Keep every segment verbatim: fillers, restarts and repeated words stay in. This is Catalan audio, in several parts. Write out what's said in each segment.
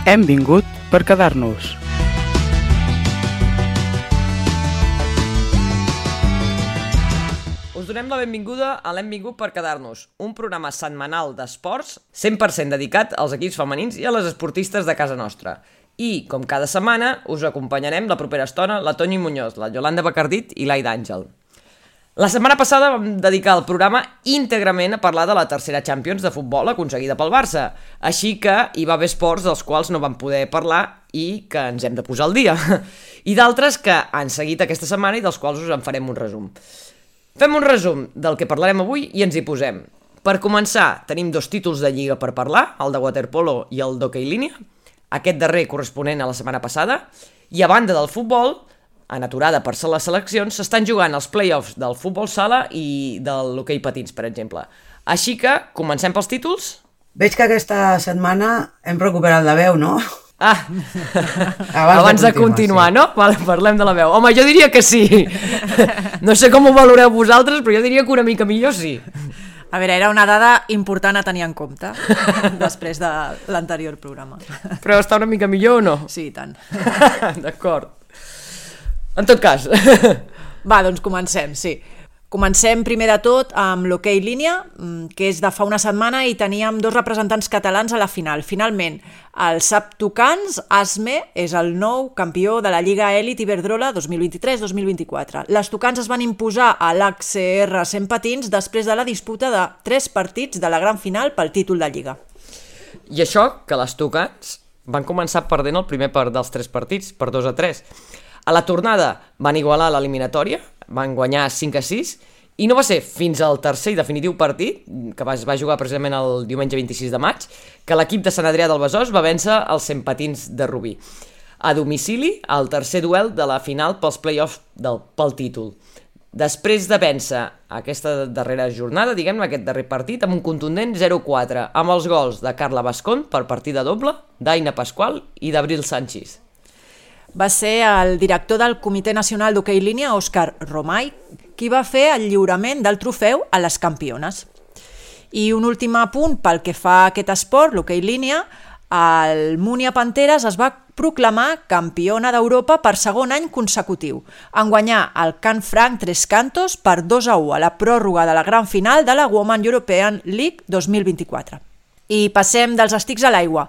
Hem vingut per quedar-nos. Us donem la benvinguda a l'Hem vingut per quedar-nos, un programa setmanal d'esports cent per cent dedicat als equips femenins i a les esportistes de casa nostra. I, com cada setmana, us acompanyarem la propera estona la Toni Muñoz, la Yolanda Bacardit i l'Aida Àngel. La setmana passada vam dedicar el programa íntegrament a parlar de la tercera Champions de futbol aconseguida pel Barça, així que hi va haver esports dels quals no vam poder parlar i que ens hem de posar al dia, i d'altres que han seguit aquesta setmana i dels quals us en farem un resum. Fem un resum del que parlarem avui i ens hi posem. Per començar, tenim dos títols de lliga per parlar, el de waterpolo i el d'hoquei línia, aquest darrer corresponent a la setmana passada, i a banda del futbol, en aturada per ser les seleccions, s'estan jugant els play-offs del futbol sala i de l'hoquei patins, per exemple. Així que, comencem pels títols? Veig que aquesta setmana hem recuperat la veu, no? Ah, abans, abans de continuar, de continuar sí. No? Vale, parlem de la veu. Home, jo diria que sí. No sé com ho valoreu vosaltres, però jo diria que una mica millor sí. A veure, era una dada important a tenir en compte després de l'anterior programa. Però està una mica millor o no? Sí, i tant. D'acord. En tot cas. Va, doncs comencem, sí. Comencem primer de tot amb l'hoquei línia, que és de fa una setmana i teníem dos representants catalans a la final. Finalment, el S A P Tucans, ASME, és el nou campió de la Lliga Elit Iberdrola dos mil vint-i-tres dos mil vint-i-quatre. Les Tucans es van imposar a l'H C R cent patins després de la disputa de tres partits de la gran final pel títol de Lliga. I això, que les Tucans van començar perdent el primer part dels tres partits, per dos a tres. A la tornada van igualar l'eliminatòria, van guanyar cinc a sis, i no va ser fins al tercer i definitiu partit, que es va jugar precisament el diumenge vint-i-sis de maig, que l'equip de Sant Adrià del Besòs va vèncer els cent patins de Rubí. A domicili, al tercer duel de la final pels play-offs del, pel títol. Després de vèncer aquesta darrera jornada, diguem-ne, aquest darrer partit, amb un contundent zero a quatre, amb els gols de Carla Bascón per partida doble, d'Aina Pasqual i d'Abril Sanchis. Va ser el director del Comitè Nacional d'Hoquei Línia, Òscar Romay, qui va fer el lliurament del trofeu a les campiones. I un últim apunt pel que fa a aquest esport, l'hoquei línia, el Múnia Panteres es va proclamar campiona d'Europa per segon any consecutiu, en guanyar el Can Franc Tres Cantos per dos a u a la pròrroga de la gran final de la Women European League dos mil vint-i-quatre. I passem dels estics a l'aigua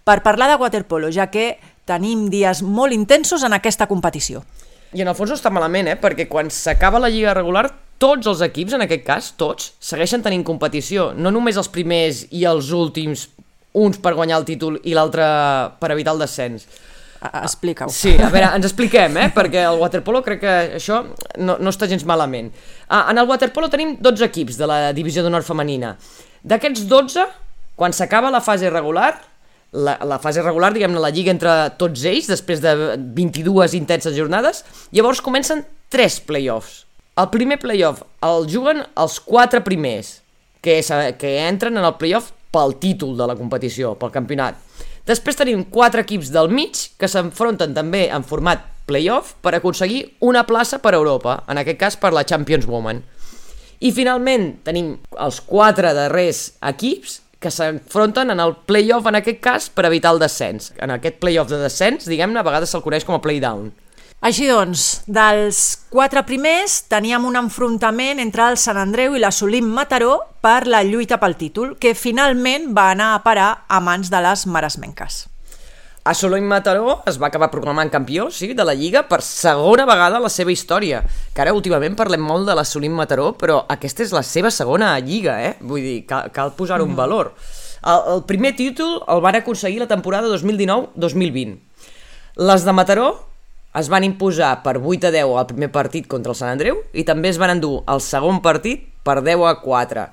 per parlar de waterpolo, ja que tenim dies molt intensos en aquesta competició. I en el fons no està malament, eh? Perquè quan s'acaba la lliga regular, tots els equips, en aquest cas, tots, segueixen tenint competició. No només els primers i els últims, uns per guanyar el títol i l'altre per evitar el descens. Explica-ho. Sí, a veure, ens expliquem, eh? Perquè el waterpolo crec que això no, no està gens malament. Ah, en el waterpolo tenim dotze equips de la divisió d'honor femenina. D'aquests dotze, quan s'acaba la fase regular, La, la fase regular, diguem-ne, la lliga entre tots ells, després de vint-i-dues intenses jornades, llavors comencen tres play-offs. El primer play-off el juguen els quatre primers, que, és, que entren en el play-off pel títol de la competició, pel campionat. Després tenim quatre equips del mig que s'enfronten també en format play-off per aconseguir una plaça per Europa, en aquest cas per la Champions Women. I finalment tenim els quatre darrers equips que s'enfronten en el play-off, en aquest cas, per evitar el descens. En aquest play-off de descens, diguem-ne, a vegades se'l coneix com a play-down. Així doncs, dels quatre primers teníem un enfrontament entre el Sant Andreu i la Solim Mataró per la lluita pel títol, que finalment va anar a parar a mans de les maresmenques. A Solim Mataró es va acabar proclamant campió, sí, de la Lliga per segona vegada a la seva història. Que ara últimament parlem molt de la Solim Mataró, però aquesta és la seva segona Lliga, eh? Vull dir, cal, cal posar-ho en valor. El, el primer títol el van aconseguir la temporada dos mil dinou dos mil vint. Les de Mataró es van imposar per vuit a deu al primer partit contra el Sant Andreu i també es van endur el segon partit per deu a quatre.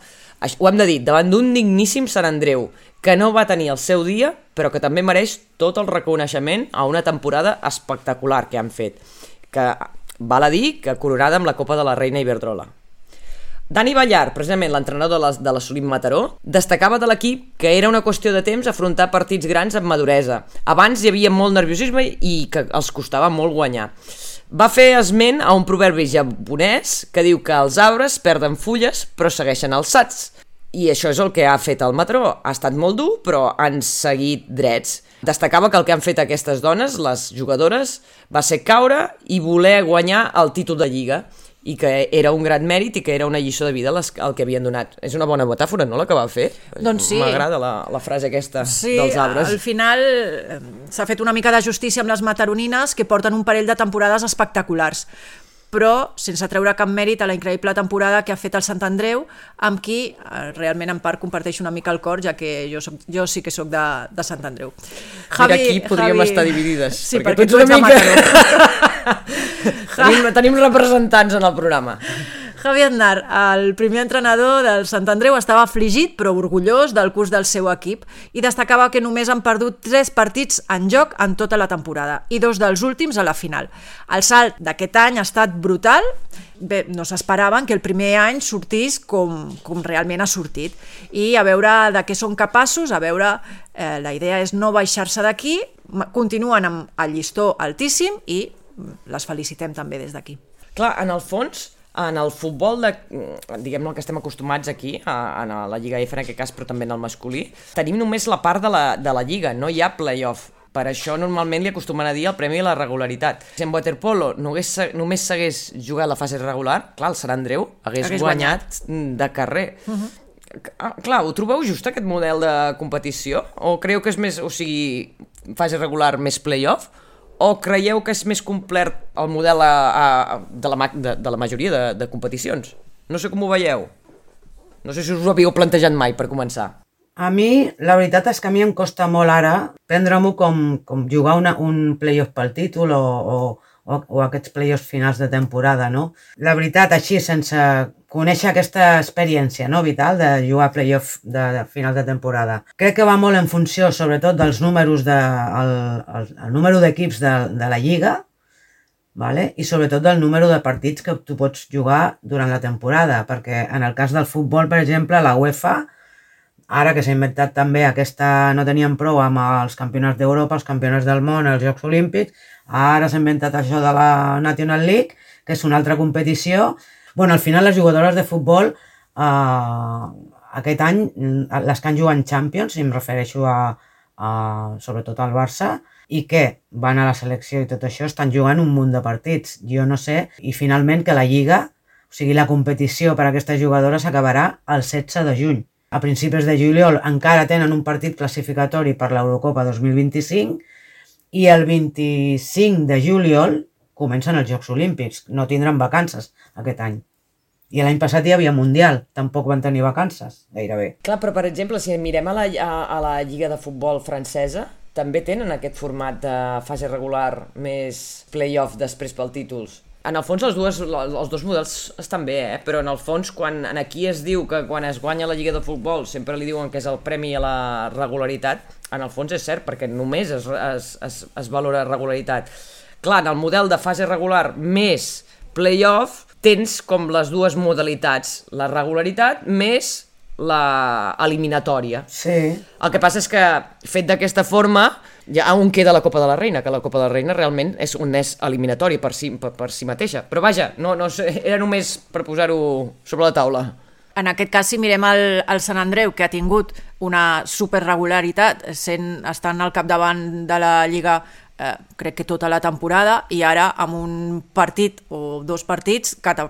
Ho hem de dir, davant d'un digníssim Sant Andreu, que no va tenir el seu dia, però que també mereix tot el reconeixement a una temporada espectacular que han fet, que val a dir que coronada amb la Copa de la Reina Iberdrola. Dani Ballar, precisament l'entrenador de la, de la Solim Mataró, destacava de l'equip que era una qüestió de temps afrontar partits grans amb maduresa. Abans hi havia molt nerviosisme i que els costava molt guanyar. Va fer esment a un proverbi japonès que diu que els arbres perden fulles però segueixen alçats. I això és el que ha fet el Mataró. Ha estat molt dur, però han seguit drets. Destacava que el que han fet aquestes dones, les jugadores, va ser caure i voler guanyar el títol de Lliga, i que era un gran mèrit i que era una lliçó de vida les, el que havien donat. És una bona metàfora, no?, la que va fer. Doncs sí. M'agrada la, la frase aquesta sí, dels arbres. Al final s'ha fet una mica de justícia amb les mataronines, que porten un parell de temporades espectaculars, però sense treure cap mèrit a la increïble temporada que ha fet el Sant Andreu, amb qui eh, realment en part comparteixo una mica el cor, ja que jo, soc, jo sí que sóc de, de Sant Andreu. Javi, Mira, aquí podríem Javi... estar dividides. Sí, perquè, perquè tu ets una mica... tenim, tenim representants en el programa. Javi Aznar, el primer entrenador del Sant Andreu, estava afligit però orgullós del curs del seu equip i destacava que només han perdut tres partits en joc en tota la temporada i dos dels últims a la final. El salt d'aquest any ha estat brutal. Bé, no s'esperaven que el primer any sortís com, com realment ha sortit i a veure de què són capaços, a veure, eh, la idea és no baixar-se d'aquí, continuen amb el llistó altíssim i les felicitem també des d'aquí. Clar, en el fons, en el futbol, de, diguem-ne el que estem acostumats aquí, a, a la Lliga F en aquest cas, però també en el masculí, tenim només la part de la, de la Lliga, no hi ha play-off. Per això normalment li acostumen a dir el premi a la regularitat. Si en waterpolo només, només s'hagués jugat la fase regular, clar, el Sant Andreu hagués, hagués guanyat, guanyat de carrer. Uh-huh. Ah, clar, ho trobeu just aquest model de competició? O creieu que és més, o sigui, fase regular més play-off? O creieu que és més complet el model a, a, de, la, de, de la majoria de, de competicions? No sé com ho veieu. No sé si us ho havíeu plantejat mai, per començar. A mi, la veritat és que a mi em costa molt ara prendre-m'ho com, com jugar una, un play-off pel títol o, o, o, o aquests play-offs finals de temporada, no? La veritat, així, sense conèixer aquesta experiència, no, vital de jugar play-off de, de final de temporada. Crec que va molt en funció, sobretot, dels números de, el, el, el número d'equips de, de la Lliga, vale? I sobretot del número de partits que tu pots jugar durant la temporada, perquè en el cas del futbol, per exemple, la UEFA, ara que s'ha inventat també aquesta, no teníem prou amb els campionats d'Europa, els campionats del món, els Jocs Olímpics, ara s'ha inventat això de la National League, que és una altra competició. Bueno, al final les jugadores de futbol, eh, aquest any, les que han jugat en Champions, i em refereixo a, a sobretot al Barça, i que van a la selecció i tot això, estan jugant un munt de partits. Jo no sé, i finalment que la Lliga, o sigui, la competició per a aquestes jugadores s'acabarà el setze de juny. A principis de juliol encara tenen un partit classificatori per l'Eurocopa dos mil vint-i-cinc i el vint-i-cinc de juliol comencen els Jocs Olímpics. No tindran vacances aquest any. I l'any passat hi havia Mundial, tampoc van tenir vacances, gairebé. Clar, però per exemple, si mirem a la, a, a la Lliga de Futbol francesa, també tenen aquest format de fase regular més play-off després pel títols. En el fons els, dues, els dos models estan bé, eh? Però en el fons quan aquí es diu que quan es guanya la Lliga de Futbol sempre li diuen que és el premi a la regularitat, en el fons és cert, perquè només es, es, es, es valora regularitat. Clar, en el model de fase regular més play-off tens com les dues modalitats, la regularitat més la eliminatòria. Sí. El que passa és que fet d'aquesta forma ja on queda la Copa de la Reina, que la Copa de la Reina realment és un és eliminatori per si, per, per si mateixa. Però vaja, no, no sé, era només per posar-ho sobre la taula. En aquest cas, si mirem el, el Sant Andreu, que ha tingut una superregularitat, sent, estant al capdavant de la Lliga eh, crec que tota la temporada, i ara amb un partit o dos partits que et,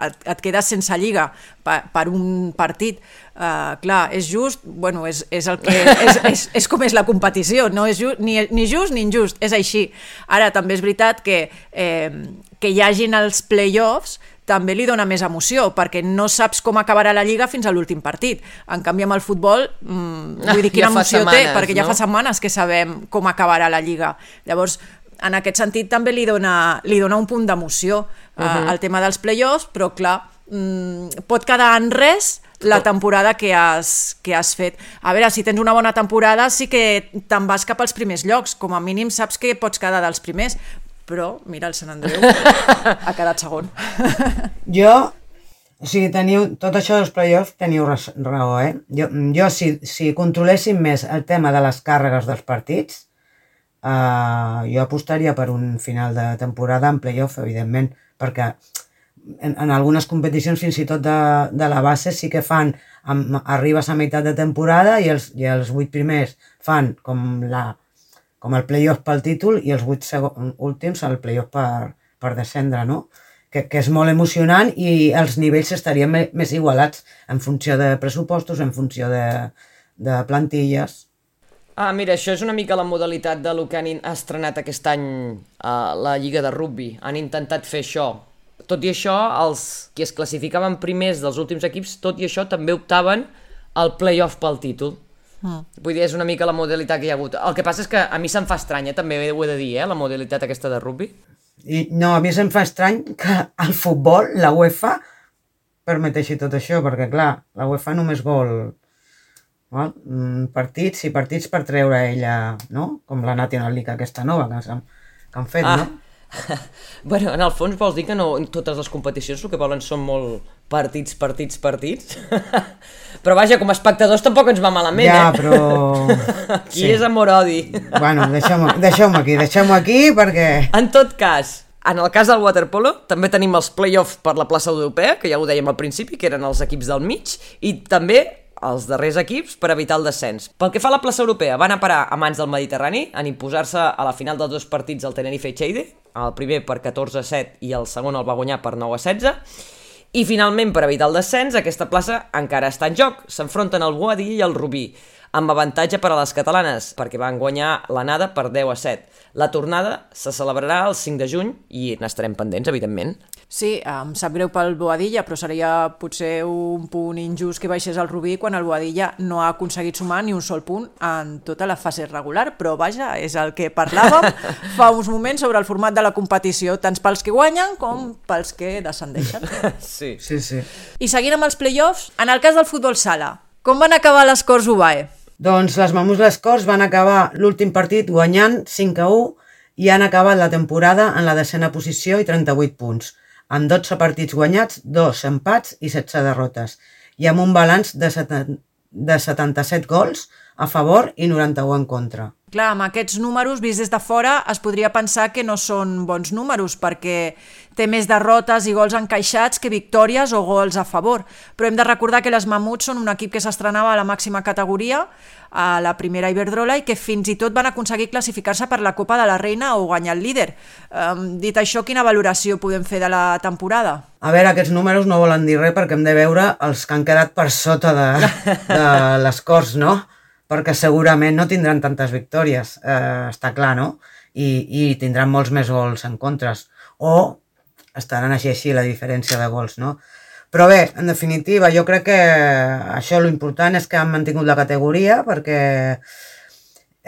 et, et quedes sense Lliga per, per un partit. Uh, clar, és just, bueno, és, és, el que, és, és, és com és la competició, no és just, ni, ni just ni injust, és així. Ara també és veritat que, eh, que hi hagin els play-offs també li dona més emoció, perquè no saps com acabarà la Lliga fins a l'últim partit. En canvi, amb el futbol, mmm, vull dir, quina ja emoció setmanes, té, perquè no? Ja fa setmanes que sabem com acabarà la Lliga. Llavors, en aquest sentit també li dona, li dona un punt d'emoció uh, uh-huh. al tema dels play-offs, però clar, mmm, pot quedar en res la temporada que has, que has fet. A veure, si tens una bona temporada sí que te'n vas cap als primers llocs, com a mínim saps que pots quedar dels primers, però mira, el Sant Andreu ha quedat segon. Jo, o sigui, teniu, tot això dels play-offs teniu raó, eh? Jo, jo si, si controléssim més el tema de les càrregues dels partits, eh, jo apostaria per un final de temporada en play-off, evidentment, perquè en, en algunes competicions fins i tot de, de la base sí que fan, amb, arribes a meitat de temporada i els, i els vuit primers fan com, la, com el play-off pel títol i els vuit segon, últims el play-off per, per descendre, no? Que, que és molt emocionant i els nivells estarien me, més igualats en funció de pressupostos, en funció de, de plantilles. Ah, mira, això és una mica la modalitat de lo que han estrenat aquest any a la Lliga de Rugby. Han intentat fer això. Tot i això, els qui es classificaven primers dels últims equips, tot i això també optaven al play-off pel títol. Mm. Vull dir, és una mica la modalitat que hi ha hagut. El que passa és que a mi se'm fa estranya, també ho he de dir, eh, la modalitat aquesta de rugby. I no, a mi se'm fa estrany que el futbol, la UEFA, permeteixi tot això, perquè clar, la UEFA només vol val? partits i partits per treure ella, no? Com la National League aquesta nova que, han, que han fet, ah. no? Bueno, en el fons vols dir que no, totes les competicions el que volen són molt partits, partits, partits? Però vaja, com a espectadors tampoc ens va malament, ja, eh? però... Aquí sí. És amor-odi. Bueno, deixeu-m'ho deixeu aquí, deixeu-m'ho aquí perquè... En tot cas, en el cas del waterpolo, també tenim els play-offs per la plaça europea, que ja ho dèiem al principi, que eren els equips del mig, i també els darrers equips per evitar el descens. Pel que fa a la plaça europea, van a parar a mans del Mediterrani en imposar-se a la final dels dos partits del Tenerife i Lleida, el primer per catorze a set i el segon el va guanyar per nou a setze, i finalment, per evitar el descens, aquesta plaça encara està en joc. S'enfronten el Boadilla i el Rubí, amb avantatge per a les catalanes, perquè van guanyar l'anada per deu a set. La tornada se celebrarà el cinc de juny i n'estarem pendents, evidentment. Sí, em sap greu pel Boadilla, però seria potser un punt injust que baixés el Rubí quan el Boadilla no ha aconseguit sumar ni un sol punt en tota la fase regular, però vaja, és el que parlàvem fa uns moments sobre el format de la competició, tant pels que guanyen com pels que descendeixen. Sí. Sí, sí. I seguint amb els play-offs, en el cas del futbol sala, com van acabar les Corts U B A E? Doncs les Mamús Les Corts van acabar l'últim partit guanyant cinc a u i han acabat la temporada en la desena posició i trenta-vuit punts, amb dotze partits guanyats, dos empats i setze derrotes, i amb un balanç de, seten... de setanta-set gols a favor i noranta-u en contra. Clar, amb aquests números, vist des de fora, es podria pensar que no són bons números, perquè té més derrotes i gols encaixats que victòries o gols a favor. Però hem de recordar que les Mamuts són un equip que s'estrenava a la màxima categoria, a la primera Iberdrola, i que fins i tot van aconseguir classificar-se per la Copa de la Reina o guanyar el líder. Um, dit això, quina valoració podem fer de la temporada? A veure, aquests números no volen dir res perquè hem de veure els que han quedat per sota de, de les Corts, no? Perquè segurament no tindran tantes victòries, eh, està clar, no? I, i tindran molts més gols en contres. O estaran així així la diferència de gols, no? Però bé, en definitiva, jo crec que això l'important és que han mantingut la categoria perquè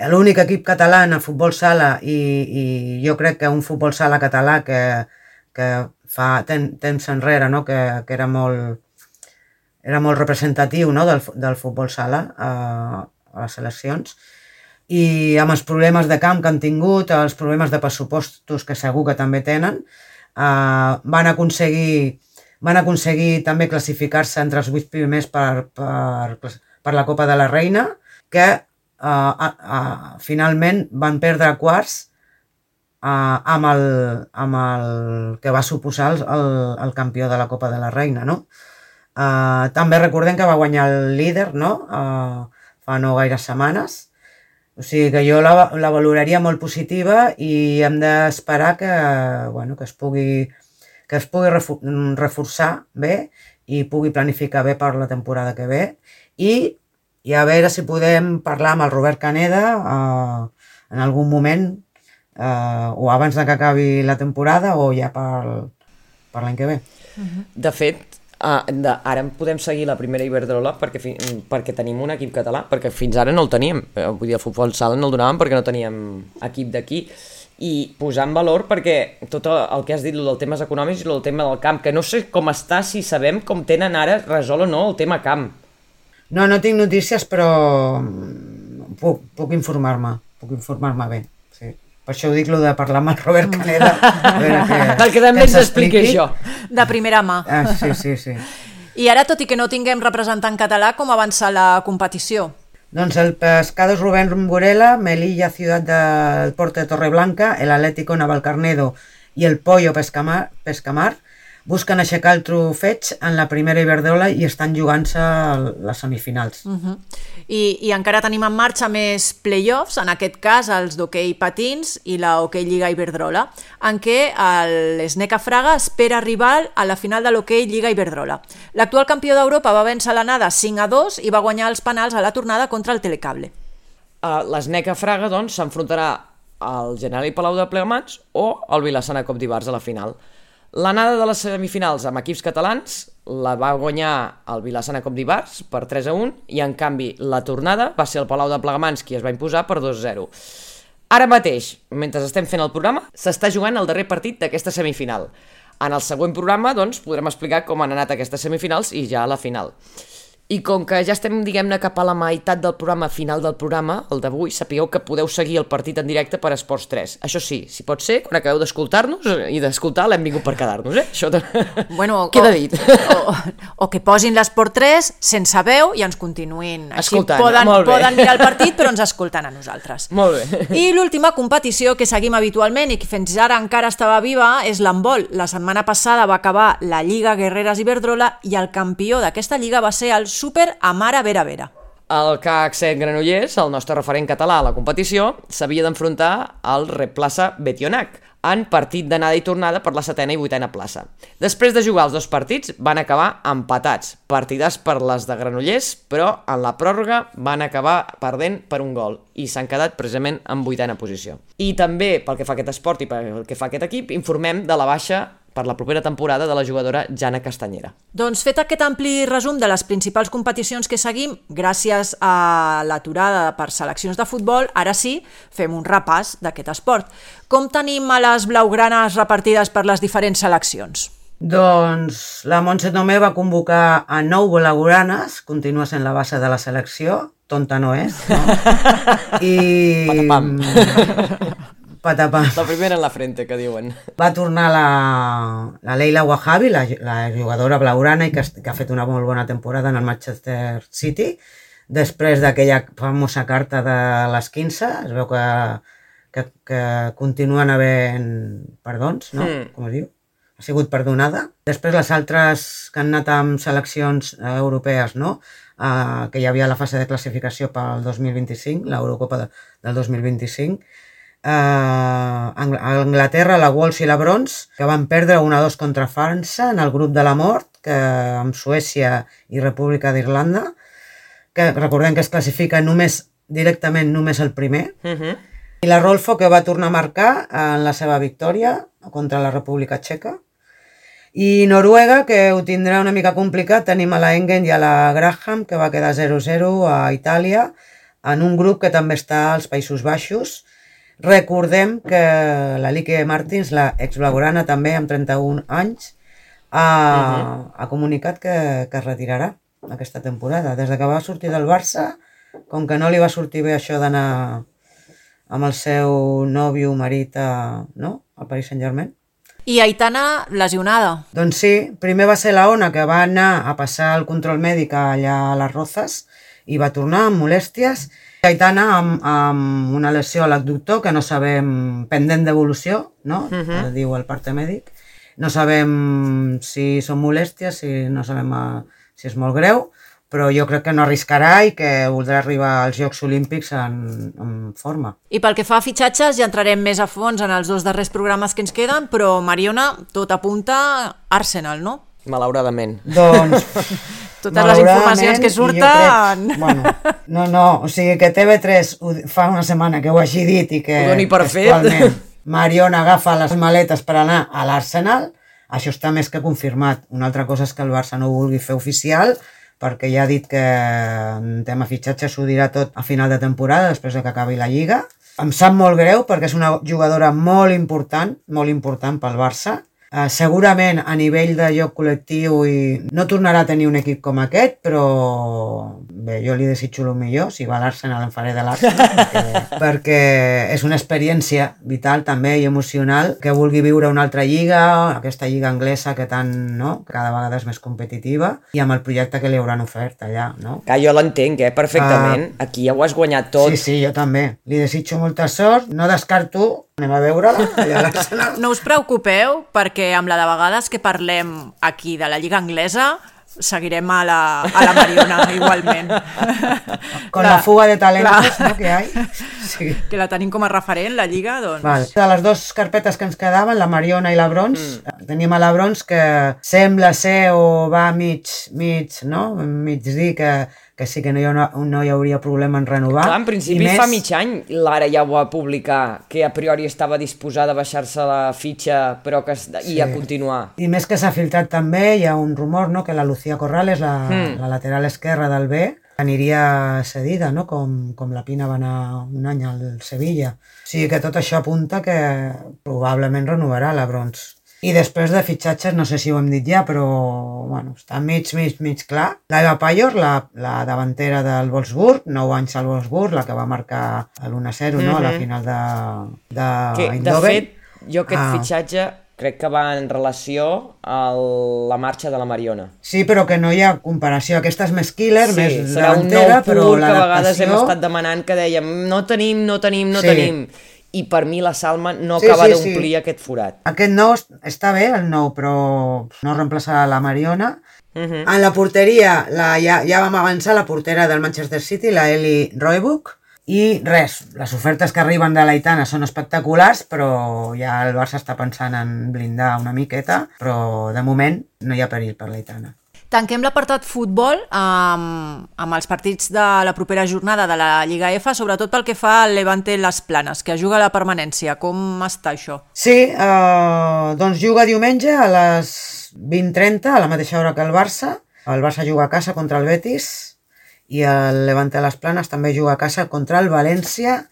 l'únic equip català en el futbol sala i, i jo crec que un futbol sala català que, que fa ten, temps enrere, no? que, que era molt, era molt representatiu, no? del, del futbol sala, eh, a les seleccions, i amb els problemes de camp que han tingut, els problemes de pressupostos que segur que també tenen, eh, van aconseguir van aconseguir també classificar-se entre els vuit primers per, per, per la Copa de la Reina, que eh, eh, finalment van perdre quarts eh, amb, el, amb el que va suposar el, el, el campió de la Copa de la Reina, no? Eh, també recordem que va guanyar el líder, no? Eh, fa no gaires setmanes, o sigui que jo la, la valoraria molt positiva i hem d'esperar que, bueno, que es pugui, que es pugui reforçar bé i pugui planificar bé per la temporada que ve i, i a veure si podem parlar amb el Robert Caneda eh, en algun moment eh, o abans de que acabi la temporada o ja per, per l'any que ve. De fet, Uh, de, ara podem seguir la primera Iberdrola perquè, fi, perquè tenim un equip català, perquè fins ara no el teníem, uh, vull dir, el futbol sala no el donàvem perquè no teníem equip d'aquí, i posar en valor perquè tot el que has dit, el del temes econòmics i el del tema del camp, que no sé com està, si sabem com tenen ara resol o no el tema camp. No, no tinc notícies, però puc, puc informar-me, puc informar-me bé, sí. Per això ho dic, lo de parlar amb el Robert Caneda. Que, perquè també ens expliqui això. De primera mà. Ah, sí, sí, sí. I ara, tot i que no tinguem representant català, com avança la competició? Doncs el Pescados Rubén Burela, Melilla Ciudad del Porto de Torreblanca, el Atlético Navalcarnedo i el Pollo Pescamar, Pescamar busquen aixecar el trofeig en la primera Iberdrola i estan jugant-se les semifinals. Uh-huh. I, I encara tenim en marxa més play-offs, en aquest cas els d'hoquei patins i la Hoquei Lliga Iberdrola, en què l'Sneca Fraga espera rival a la final de l'Hoquei Lliga Iberdrola. L'actual campió d'Europa va vèncer l'anada cinc a dos i va guanyar els penals a la tornada contra el Telecable. Uh, L'Sneca Fraga, doncs, s'enfrontarà al Generali Palau de Plegamans o al Vilassana Cop d'Ivars a la final. L'anada de les semifinals amb equips catalans la va guanyar el Vilassana Cop d'Ivars per tres a un i, en canvi, la tornada va ser el Palau de Plegamans qui es va imposar per dos a zero. Ara mateix, mentre estem fent el programa, s'està jugant el darrer partit d'aquesta semifinal. En el següent programa, doncs, podrem explicar com han anat aquestes semifinals i ja a la final. I com que ja estem, diguem-ne, cap a la meitat del programa, final del programa, el d'avui, sapigueu que podeu seguir el partit en directe per Esports tres. Això sí, si pot ser, quan acabeu d'escoltar-nos i d'escoltar, l'hem vingut per quedar-nos, eh? Això de... bueno, queda dit. O, o, o que posin l'Esport tres sense veu i ens continuïn. Així escoltant, poden, molt bé. poden mirar el partit, però ens escolten a nosaltres. Molt bé. I l'última competició que seguim habitualment i que fins ara encara estava viva és l'handbol. La setmana passada va acabar la Lliga Guerreres Iberdrola i el campió d'aquesta lliga va ser el Super Amara Vera Vera. El C A C Granollers, el nostre referent català a la competició, s'havia d'enfrontar al Replaça Betionac en partit d'anada i tornada per la setena i vuitena plaça. Després de jugar els dos partits van acabar empatats, partidars per les de Granollers, però en la pròrroga van acabar perdent per un gol i s'han quedat precisament en vuitena posició. I també, pel que fa a aquest esport i pel que fa a aquest equip, informem de la baixa per la propera temporada de la jugadora Jana Castanyera. Doncs fet aquest ampli resum de les principals competicions que seguim, gràcies a l'aturada per seleccions de futbol, ara sí, fem un repàs d'aquest esport. Com tenim a les blaugranes repartides per les diferents seleccions? Doncs la Montse Tomé va convocar a nou blaugranes, continua sent la base de la selecció, tonta no és, no? I... Patapam. Patapam. La primera en la frente, que diuen. Va tornar la, la Leila Wahabi, la, la jugadora blaugrana, i que, que ha fet una molt bona temporada en el Manchester City. Després d'aquella famosa carta de les quinze, es veu que, que, que continuen havent perdons, no? Mm. Com es diu? Ha sigut perdonada. Després les altres que han anat amb seleccions eh, europees, no? Uh, que hi havia la fase de classificació pel dos mil vint-i-cinc, l'Eurocopa de, del dos mil vint-i-cinc, Uh, a Anglaterra, la Wolves i la Brons, que van perdre un a dos contra França en el grup de la mort, que amb Suècia i República d'Irlanda, que recordem que es classifica només directament només el primer, uh-huh. I la Rolfo, que va tornar a marcar en la seva victòria contra la República Txeca, i Noruega, que ho tindrà una mica complicat, tenim a la Engen i a la Graham, que va quedar zero a zero a Itàlia, en un grup que també està als Països Baixos. Recordem que la Lique Martins, la exblaugrana també amb trenta-un anys, ha, uh-huh. ha comunicat que, que es retirarà aquesta temporada. Des que va sortir del Barça, com que no li va sortir bé això d'anar amb el seu nòvio, marit, a, no? al Paris Saint-Germain. I Aitana lesionada. Doncs sí, primer va ser la Ona, que va anar a passar el control mèdic allà a les Rozas i va tornar amb molèsties. Aitana amb, amb una lesió a l'abductor que no sabem, pendent d'evolució, no? Uh-huh. Diu el parte mèdic. No sabem si són molèsties, si no sabem uh, si és molt greu, però jo crec que no arriscarà i que voldrà arribar als Jocs Olímpics en, en forma. I pel que fa a fitxatges ja entrarem més a fons en els dos darrers programes que ens queden, però Mariona, tot apunta Arsenal, no? Malauradament. Doncs... Totes les informacions que surten... Crec, bueno, no, no, o sigui que T V tres fa una setmana que ho hagi dit i que actualment Mariona agafa les maletes per anar a l'Arsenal, això està més que confirmat. Una altra cosa és que el Barça no ho vulgui fer oficial, perquè ja ha dit que en tema fitxatge s'ho dirà tot a final de temporada, després que acabi la Lliga. Em sap molt greu perquè és una jugadora molt important, molt important pel Barça. Uh, segurament a nivell de joc col·lectiu i no tornarà a tenir un equip com aquest, però bé, jo li desitjo el millor. Si va a l'Arsenal em faré de l'Arsenal perquè, perquè és una experiència vital també i emocional, que vulgui viure una altra lliga, aquesta lliga anglesa que tant, no? Cada vegada és més competitiva, i amb el projecte que li hauran ofert allà, no? Que jo l'entenc, eh? Perfectament. Uh, Aquí ja ho has guanyat tot. Sí, sí, jo també. Li desitjo molta sort. No descarto Anem a veure-la allà a l'Arsenal. No us preocupeu, perquè amb la de vegades que parlem aquí de la Lliga Anglesa seguirem a la, a la Mariona igualment. Con la, la fuga de talentos, ¿no?, que hay. Sí. Que la tenim com a referent, la Lliga, doncs... Vale. De les dues carpetes que ens quedaven, la Mariona i la Brons, mm. tenim a la Brons que sembla ser o va mig, mig, no?, mig dir que, que sí que no hi, ha, no hi hauria problema en renovar. Clar, en principi més... fa mig any Lara ja ho va publicar, que a priori estava disposada a baixar-se la fitxa però que, i sí. a continuar. I més que s'ha filtrat també, hi ha un rumor, no?, que la Lucía Corrales, la, mm. la lateral esquerra del B, aniria cedida, no?, com, com la Pina va anar un any al Sevilla. O sigui que tot això apunta que probablement renovarà la Brons. I després de fitxatges, no sé si ho hem dit ja, però bueno, està mig, mig, mig clar. La Eva Payor, la, la davantera del Wolfsburg, nou anys al Wolfsburg, la que va marcar l'u a zero, mm-hmm. no?, a la final de, de que, Eindhoven. De fet, jo aquest ah. fitxatge crec que va en relació a la marxa de la Mariona. Sí, però que no hi ha comparació. Aquesta és més killer, sí, més serà davantera, un nou pur que a vegades l'adaptació... hem estat demanant que dèiem no tenim, no tenim, no sí. tenim. I per mi la Salma no sí, acaba sí, d'omplir sí. aquest forat. Aquest nou està bé, el nou, però no reemplaçarà la Mariona. Uh-huh. En la porteria, la, ja, ja vam avançar la portera del Manchester City, la Eli Roebuck, i res, les ofertes que arriben de l'Aitana són espectaculars, però ja el Barça està pensant en blindar una miqueta, però de moment no hi ha perill per l'Aitana. Tanquem l'apartat futbol amb, amb els partits de la propera jornada de la Lliga F, sobretot pel que fa al Levante Les Planes, que juga a la permanència. Com està això? Sí, eh, doncs juga diumenge a les vint trenta, a la mateixa hora que el Barça. El Barça juga a casa contra el Betis i el Levante Les Planes també juga a casa contra el València.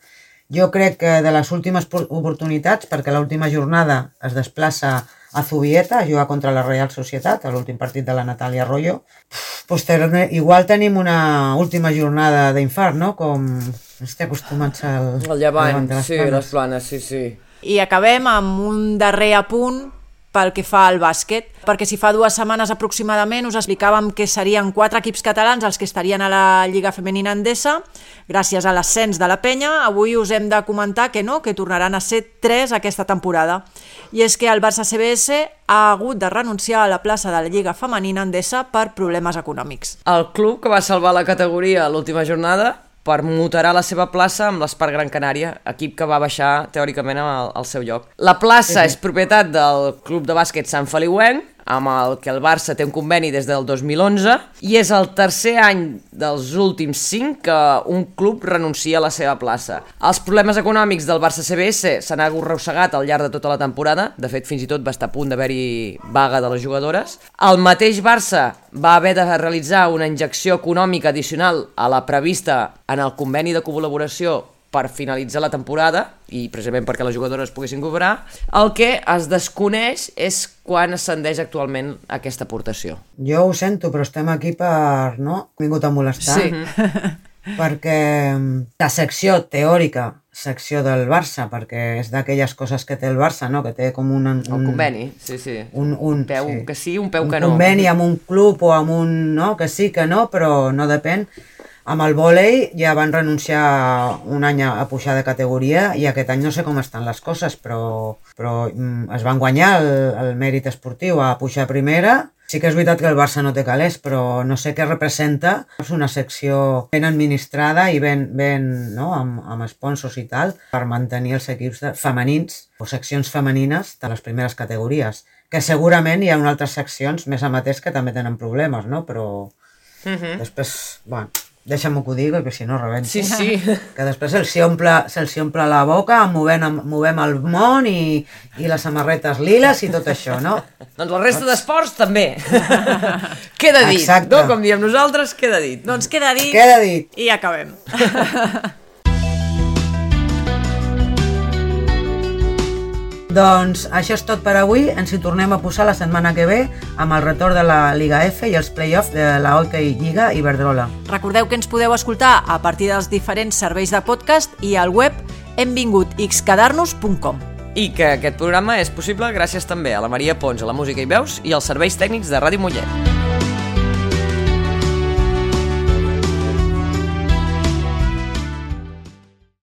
Jo crec que de les últimes oportunitats, perquè l'última jornada es desplaça a Zubieta, a jugar contra la Real Societat, a l'últim partit de la Natàlia Arroyo. Posteriorment, igual tenim una última jornada d'infart, no?, com estic acostumats al... El Llevant, sí, les Planes, sí, sí. I acabem amb un darrer apunt pel que fa al bàsquet, perquè si fa dues setmanes aproximadament us explicàvem que serien quatre equips catalans els que estarien a la Lliga Femenina Endesa, gràcies a l'ascens de la penya. Avui us hem de comentar que no, que tornaran a ser tres aquesta temporada. I és que el Barça C B S ha hagut de renunciar a la plaça de la Lliga Femenina Endesa per problemes econòmics. El club que va salvar la categoria a l'última jornada permutarà la seva plaça amb l'Espart Gran Canària, equip que va baixar teòricament al, al seu lloc. La plaça és propietat del Club de Bàsquet Sant Feliuenc, amb el que el Barça té un conveni des del dos mil onze, i és el tercer any dels últims cinc que un club renuncia a la seva plaça. Els problemes econòmics del Barça C B S s'han arrossegat al llarg de tota la temporada, de fet fins i tot va estar a punt d'haver-hi vaga de les jugadores. El mateix Barça va haver de realitzar una injecció econòmica addicional a la prevista en el conveni de col·laboració per finalitzar la temporada i precisament perquè les jugadores poguessin cobrar. El que es desconeix és quan ascendeix actualment aquesta aportació. Jo ho sento, però estem aquí per... no? He vingut a molestar. Sí. Perquè la secció teòrica, secció del Barça, perquè és d'aquelles coses que té el Barça, no? Que té com un... un el conveni, sí, sí. Un, un peu sí. que sí, un peu un que no. Un conveni amb un club o amb un... no? Que sí, que no, però no depèn. Amb el vòlei ja van renunciar un any a pujar de categoria i aquest any no sé com estan les coses, però, però mm, es van guanyar el, el mèrit esportiu a pujar a primera. Sí que és veritat que el Barça no té calés, però no sé què representa. És una secció ben administrada i ben, ben no? amb, amb sponsors i tal, per mantenir els equips de, femenins o seccions femenines de les primeres categories. Que segurament hi ha altres seccions més amateurs que també tenen problemes, no? Però uh-huh. després, bueno... deixa'm-ho que ho digui, perquè si no rebento. Sí, sí. Que després se'ls omple, se omple la boca, movem, movem el món i, i les samarretes liles i tot això, no? Doncs la resta d'esports també. Queda dit, exacte. No? Com diem nosaltres, queda dit. Doncs queda dit, queda dit. I acabem. Doncs això és tot per avui, ens hi tornem a posar la setmana que ve amb el retorn de la Liga F i els play-offs de la Hockey Lliga Iberdrola. Recordeu que ens podeu escoltar a partir dels diferents serveis de podcast i al web hem vingut xquedarnos punt com. I que aquest programa és possible gràcies també a la Maria Pons, a la música i veus i als serveis tècnics de Ràdio Mollet.